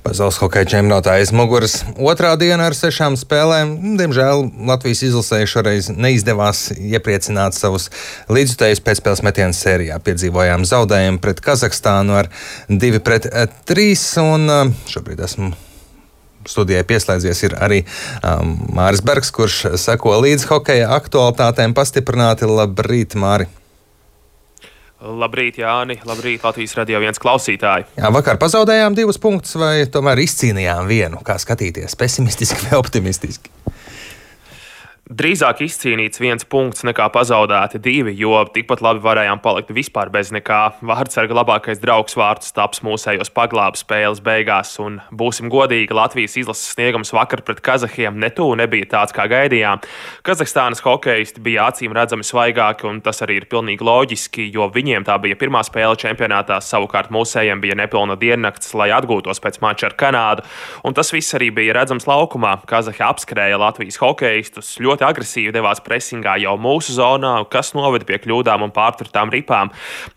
Pasaules hokeja čempionātā aiz muguras otrā diena ar 6 spēlēm. Diemžēl Latvijas izlasē šoreiz neizdevās iepriecināt savus līdzjutējus pēcspēles metienu sērijā. Piedzīvojām zaudējumu pret Kazahstānu ar 2-3, un šobrīd esmu studijai pieslēdzies ir arī Māris Bergs, kurš seko līdz hokeja aktualitātēm pastiprināti. Labrīt, Māri! Labrīt, Jāni! Labrīt, Latvijas Radio 1 klausītāji! Jā, vakar pazaudējām 2 punktus, vai tomēr izcīnījām vienu? Kā skatīties? Pesimistiski vai optimistiski? Drīzāk izcīnīts 1 punkts nekā pazaudēti 2, jo tikpat labi varējām palikt vispār bez nekā. Vārtsarga labākais draugs vārtu stāps mūsējos paglāba spēles beigās, un būsim godīgi, Latvijas izlases sniegums vakar pret Kazahiem netū nebija tāds, kā gaidījām. Kazahstānas hokeisti bija acīm redzami svaigāki, un tas arī ir pilnīgi loģiski, jo viņiem tā bija pirmā spēle čempionātā, savukārt mūsējiem bija nepilna diennakts, lai atgūtos pēc mača ar Kanādu, un tas viss arī bija redzams laukumā. Kazahi apskrēja Latvijas hokeistus, ļoti agresīvi devās presingā jau mūsu zonā, kas noveda pie kļūdām un pārturtām ripām.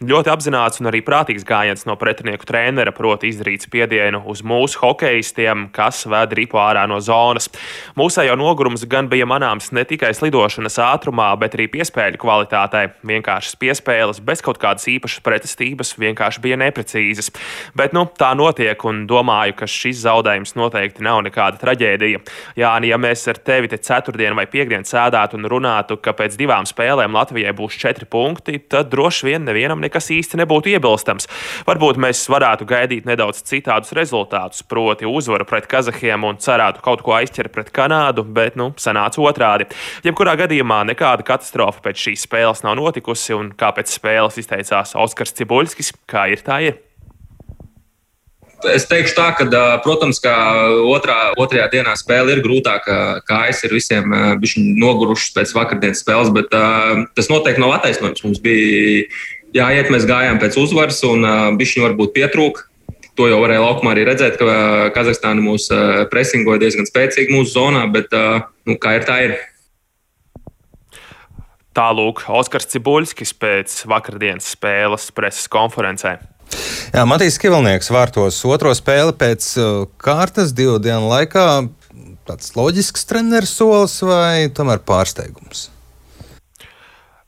Ļoti apzināts un arī prātīgs gājiens no pretinieku trenera, proti izdarīt spiedienu uz mūsu hokeistiem, kas ved ripu ārā no zonas. Mūsējo nogurums gan bija manāms ne tikai slidošanas ātrumā, bet arī piespēļu kvalitātei. Vienkāršas piespēles, bez kaut kādas īpašas pretestības, vienkārši bija neprecīzas. Bet tā notiek, un domāju, ka šis zaudējums noteikti nav nekāda traģēdija. Jāni, ja mēs ar tevi te ceturtdien vai piekdien sēdētu un runātu, ka pēc 2 spēlēm Latvijai būs 4 punkti, tad droši vien nevienam nekas īsti nebūtu iebilstams. Varbūt mēs varētu gaidīt nedaudz citādus rezultātus, proti uzvaru pret Kazahiem un cerētu kaut ko aizķert pret Kanādu, bet sanāca otrādi. Jebkurā gadījumā nekāda katastrofa pēc šīs spēles nav notikusi, un kā pēc spēles izteicās Oskars Cibuļskis, kā ir tā ir. Es teikšu tā, ka, protams, ka otrajā dienā spēle ir grūtāka, kājas ir visiem bišķi nogurušas pēc vakardienas spēles, bet tas noteikti nav attaisnojums. Mums bija jāiet, mēs gājām pēc uzvaras un bišķi varbūt pietrūka. To jau varēja laukumā arī redzēt, ka Kazahstāna mūs presingoja diezgan spēcīgi mūsu zonā, bet kā ir tā ir. Tālūk Oskars Cibuļskis pēc vakardienas spēles preses konferencē. Jā, Matīs Kivilnieks vārtos otro spēli pēc kārtas 2 dienu laikā. Tāds loģisks treneris solis vai tomēr pārsteigums?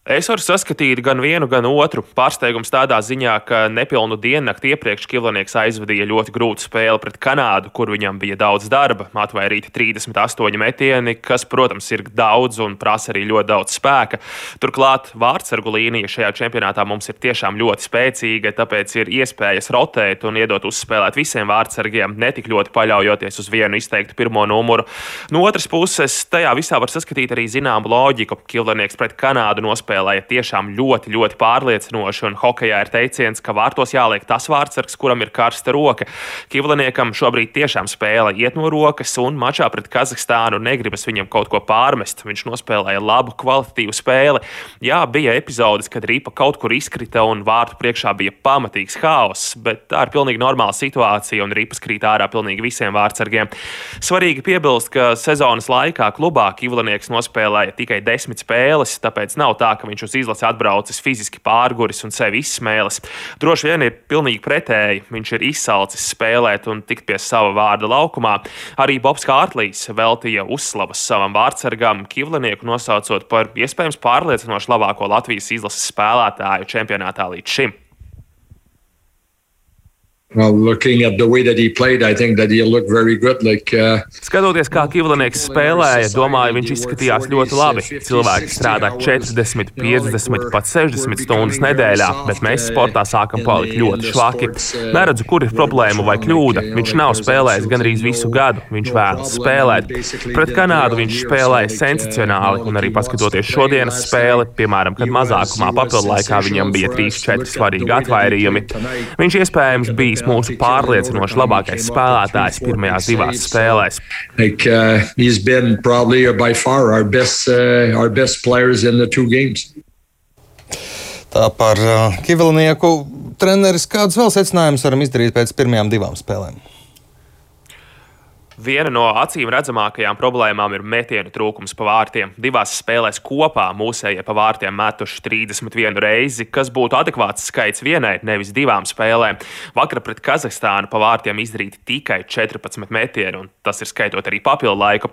Es varu saskatīt gan vienu, gan otru. Pārsteigums tādā ziņā, ka nepilnu diennakti iepriekš Kivilnieks aizvadīja ļoti grūtu spēli pret Kanādu, kur viņam bija daudz darba. Atvairīti 38 metieni, kas, protams, ir daudz un prasa arī ļoti daudz spēka. Turklāt vārtsargu līnija šajā čempionātā mums ir tiešām ļoti spēcīga, tāpēc ir iespējas rotēt un iedot uzspēlēt visiem vārtsargiem, netik ļoti paļaujoties uz vienu izteiktu pirmo numuru. No otras puses, tajā visā var saskatīt arī zināmu loģiku. Kivilnieks pret Kanādu nospēlēja tiešām ļoti, ļoti pārliecinoši, un hokejā ir teiciens, ka vārtos jāliek tas vārtsargs, kuram ir karsta roka. Kivliniekam šobrīd tiešām spēle iet no rokas, un mačā pret Kazahstānu negribas viņam kaut ko pārmest. Viņš nospēlēja labu, kvalitatīvu spēli. Jā, bija epizodes, kad ripa kaut kur izkrita un vārtu priekšā bija pamatīgs haoss, bet tā ir pilnīgi normāla situācija, un ripas krīt ārā pilnīgi visiem vārtsargiem. Svarīgi piebilst, ka sezonas laikā klubā Kivlinieks nospēlēja tikai 10 spēles, tāpēc nav tā, ka viņš uz izlasi atbraucis fiziski pārguris un sevi izsmēlis. Droši vien ir pilnīgi pretēji. Viņš ir izsalcis spēlēt un tikt pie sava vārda laukumā. Arī Bobs Kārtlīs veltīja uzslavas savam vārtsargam, Kivlinieku nosaucot par iespējams pārliecinoši labāko Latvijas izlases spēlētāju čempionātā līdz šim. Well, looking at the way that he played, I think that he looked very good. Skatoties, kā Kivlinieks spēlēja, domāju, viņš izskatījās ļoti labi. Cilvēki strādā 40, 50, pat 60 stundas nedēļā, bet mēs sportā sākam palikt ļoti švaki. Neredzu, kur ir problēma vai kļūda. Viņš nav spēlējis gandrīz visu gadu. Viņš vēlas spēlēt. Pret Kanādu viņš spēlēja sensacionāli, un arī paskatoties šodienas spēli, piemēram, kad mazākumā papildlaikā viņam bija 3-4 svarīgi atvairījumi. Viņš iespējams bijis mūsu pārliecinoši labākais spēlētājs pirmajās 2 spēlēs. He's been probably by far our best players in the 2 games. Tā par Kivilinieku. Treneris, kādus vēl secinājumus varam izdarīt pēc pirmajām 2 spēlēm? Viena no acīm redzamākajām problēmām ir metienu trūkums pa vārtiem. Divās spēlēs kopā mūsējie pa vārtiem metuši 31 reizi, kas būtu adekvāts skaits vienai, nevis divām spēlēm. Vakar pret Kazahstānu pa vārtiem izdarīti tikai 14 metieni, un tas ir skaitot arī papildu laiku.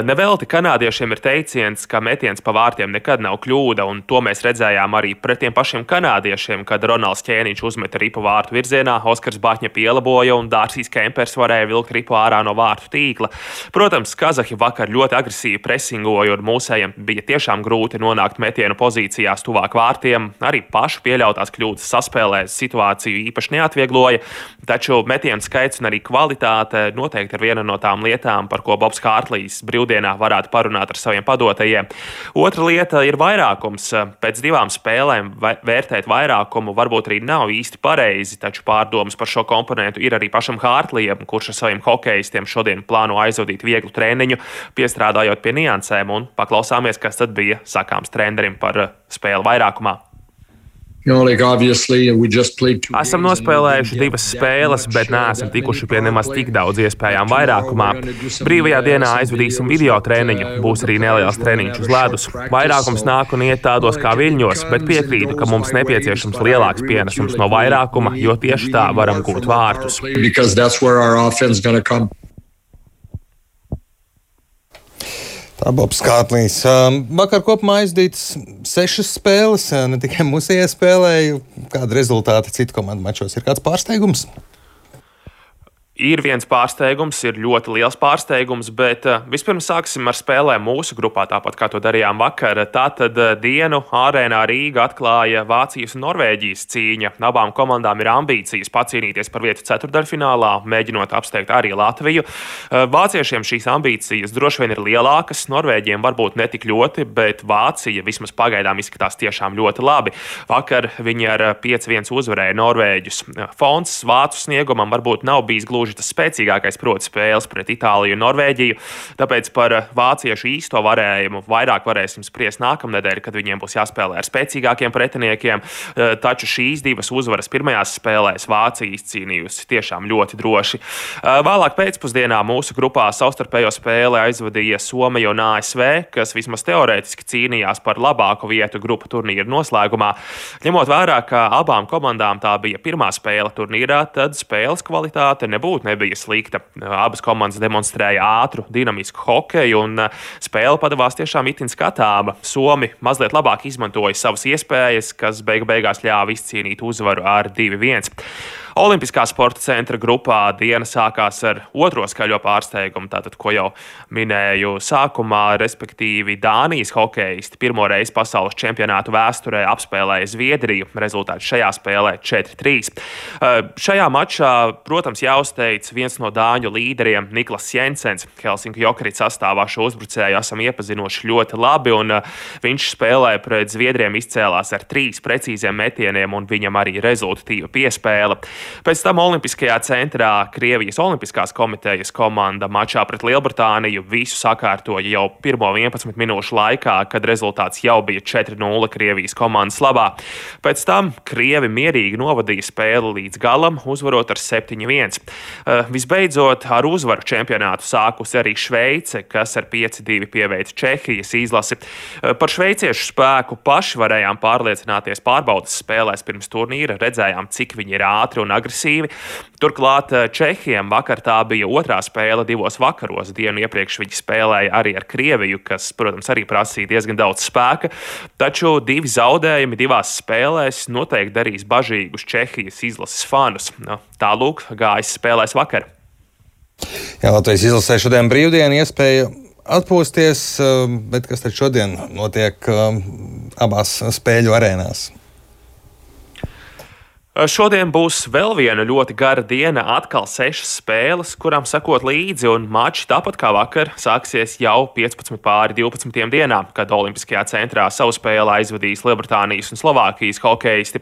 Nevelti kanādiešiem ir teiciens, ka metiens pa vārtiem nekad nav kļūda, un to mēs redzējām arī pret tiem pašiem kanādiešiem, kad Ronalds Ķēniņš uzmeta ripu vārtu virzienā, Oskars Baķņa pielaboja un Dārsijs Kempers varēja vilkt ripu ārā no vārtu tīkla. Protams, kazahi vakar ļoti agresīvi presingoja, un mūsējiem bija tiešām grūti nonākt metienu pozīcijās tuvāk vārtiem. Arī pašu pieļautās kļūdas saspēlēs situāciju īpaši neatviegloja, taču metienu skaits un arī kvalitāte noteikti ir viena no tām lietām, par ko Bobs Hārtlijs brīvdienā varētu parunāt ar saviem padotajiem. Otra lieta ir vairākums. Pēc divām spēlēm vērtēt vairākumu varbūt arī nav īsti pareizi, taču pārdomas par šo komponentu ir arī pašam Hārtlijam, kurš ar saviem hokejistiem šodien plāno aizvadīt vieglu treniņu, piestrādājot pie niansēm, un paklausāmies, kas tad bija sakāms trenerim par spēli vairākumā. Esam nospēlējuši 2 spēles, bet neesam tikuši pie nemaz tik daudz iespējām vairākumā. Brīvajā dienā aizvadīsim video treniņu, būs arī neliels treniņš uz ledus. Vairākums nāk un iet tādos kā viļņos, bet piekrītu, ka mums nepieciešams lielāks pienesums no vairākuma, jo tieši tā varam gūt vārtus. Tā Bobs Hārtlijs. Vakar kopumā aizdītas 6 spēles, ne tikai mūsējie spēlēja. Kāda rezultāti citu komandu mačos? Ir kāds pārsteigums? Ir viens pārsteigums, ir ļoti liels pārsteigums, bet vispirms sāksim ar spēlēm mūsu grupā, tāpat kā to darījām vakar. Tātad dienu Arēnā Rīga atklāja Vācijas un Norvēģijas cīņa. Abām komandām ir ambīcijas pacīnīties par vietu ceturtdaļfinālā, mēģinot apsteigt arī Latviju. Vāciešiem šīs ambīcijas droši vien ir lielākas, Norvēģiem varbūt netik ļoti, bet Vācija vismaz pagaidām izskatās tiešām ļoti labi. Vakar viņi ar 5-1 uzvarēja Norvēģus. Fons vācu sniegumam varbūt nav bijis gluži tas spēcīgākais, proti spēles pret Itāliju un Norvēģiju, tāpēc par vāciešu īsto varējumu vairāk varēsim spriest nākamnedēļ, kad viņiem būs jāspēlē ar spēcīgākiem pretiniekiem, taču šīs 2 uzvaras pirmajās spēlēs Vācija izcīnījusi tiešām ļoti droši. Vēlāk pēcpusdienā mūsu grupā savstarpējo spēli aizvadīja Somija un ASV, kas vismaz teorētiski cīnījās par labāku vietu grupu turnīra noslēgumā. Ņemot vērā, ka abām komandām tā bija pirmā spēle turnīrā, tad spēles kvalitāte nebija slikta. Abas komandas demonstrēja ātru, dinamisku hokeju, un spēle padavās tiešām itin skatāma. Somi mazliet labāk izmantoja savas iespējas, kas beigās ļāva izcīnīt uzvaru ar 2-1. Olimpiskā sporta centra grupā diena sākās ar otro skaļo pārsteigumu, tātad, ko jau minēju sākumā, respektīvi Dānijas hokejisti pirmo reizi pasaules čempionātu vēsturē apspēlēja Zviedriju. Rezultāts šajā spēlē 4-3. Šajā mačā, protams, jāuzteic viens no dāņu līderiem Niklas Jensens. Helsinku Jokerit sastāvā šo uzbrucēju esam iepazinuši ļoti labi, un viņš spēlē pret Zviedriem izcēlās ar 3 precīziem metieniem, un viņam arī rezultatīva piespēle. Pēc tam Olimpiskajā centrā Krievijas Olimpiskās komitejas komanda mačā pret Lielbritāniju visu sakārtoja jau pirmo 11 minūšu laikā, kad rezultāts jau bija 4-0 Krievijas komandas labā. Pēc tam Krievi mierīgi novadīja spēli līdz galam, uzvarot ar 7-1. Visbeidzot, ar uzvaru čempionātu sākusi arī Šveice, kas ar 5-2 pieveica Čehijas izlasi. Par šveiciešu spēku paši varējām pārliecināties pārbaudas spēlēs pirms turnīra, redzējām, cik viņi ir ātri un agresīvi. Turklāt Čehiem vakar tā bija otrā spēle 2 vakaros. Dienu iepriekš viņi spēlēja arī ar Krieviju, kas, protams, arī prasīja diezgan daudz spēka, taču 2 zaudējumi 2 spēlēs noteikti darīs bažīgus Čehijas izlases fanus. Tālūk gājis spēlēs vakar. Jā, Latvijas izlasē šodien brīvdiena iespēja atpūsties, bet kas tad šodien notiek abās spēļu arēnās? Šodien būs vēl viena ļoti gara diena, atkal 6 spēles, kurām sekot līdzi, un mači tāpat kā vakar sāksies jau 15:12 dienā, kad Olimpiskajā centrā savu spēli aizvadīs Lielbritānijas un Slovākijas hokejisti.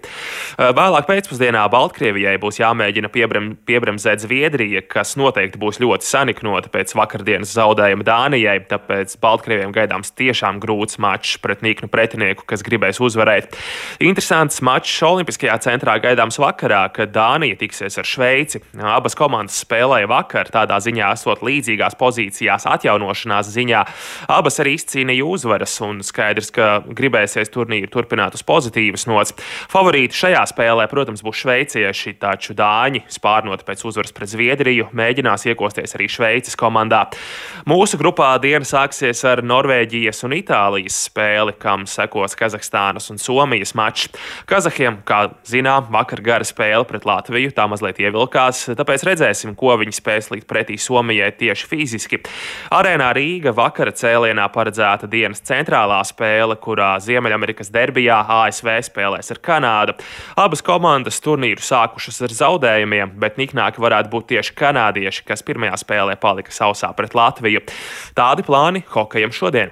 Vēlāk pēcpusdienā Baltkrievijai būs jāmēģina piebremzēt Zviedrija, kas noteikti būs ļoti saniknota pēc vakardienas zaudējuma Dānijai, tāpēc Baltkrieviem gaidāms tiešām grūts mačs pret niknu pretinieku, kas gribēs uzvarēt. Interesants mačs Olimpiskajā centrā gaidāms gaidāms vakarā, kad Dānija tiksies ar Šveici. Abas komandas spēlēja vakar, tādā ziņā esot līdzīgās pozīcijās atjaunošanās ziņā. Abas arī izcīnīja uzvaras, un skaidrs, ka gribēsies turnīru turpināt uz pozitīvas nots. Favorīti šajā spēlē, protams, būs šveicieši, taču dāņi, spārnoti pēc uzvaras pret Zviedriju, mēģinās iekosties arī Šveices komandā. Mūsu grupā diena sāksies ar Norvēģijas un Itālijas spēli, kam sekos Kazahstānas un Somijas mačs. Kazahiem, kā zinām, vakar gara spēle pret Latviju, tā mazliet ievilkās, tāpēc redzēsim, ko viņi spēs likt pretī Somijai tieši fiziski. Arēnā Rīga vakara cēlienā paredzēta dienas centrālā spēle, kurā Ziemeļamerikas derbijā ASV spēlēs ar Kanādu. Abas komandas turnīru sākušas ar zaudējumiem, bet niknāki varētu būt tieši kanādieši, kas pirmajā spēlē palika sausā pret Latviju. Tādi plāni hokejam šodien.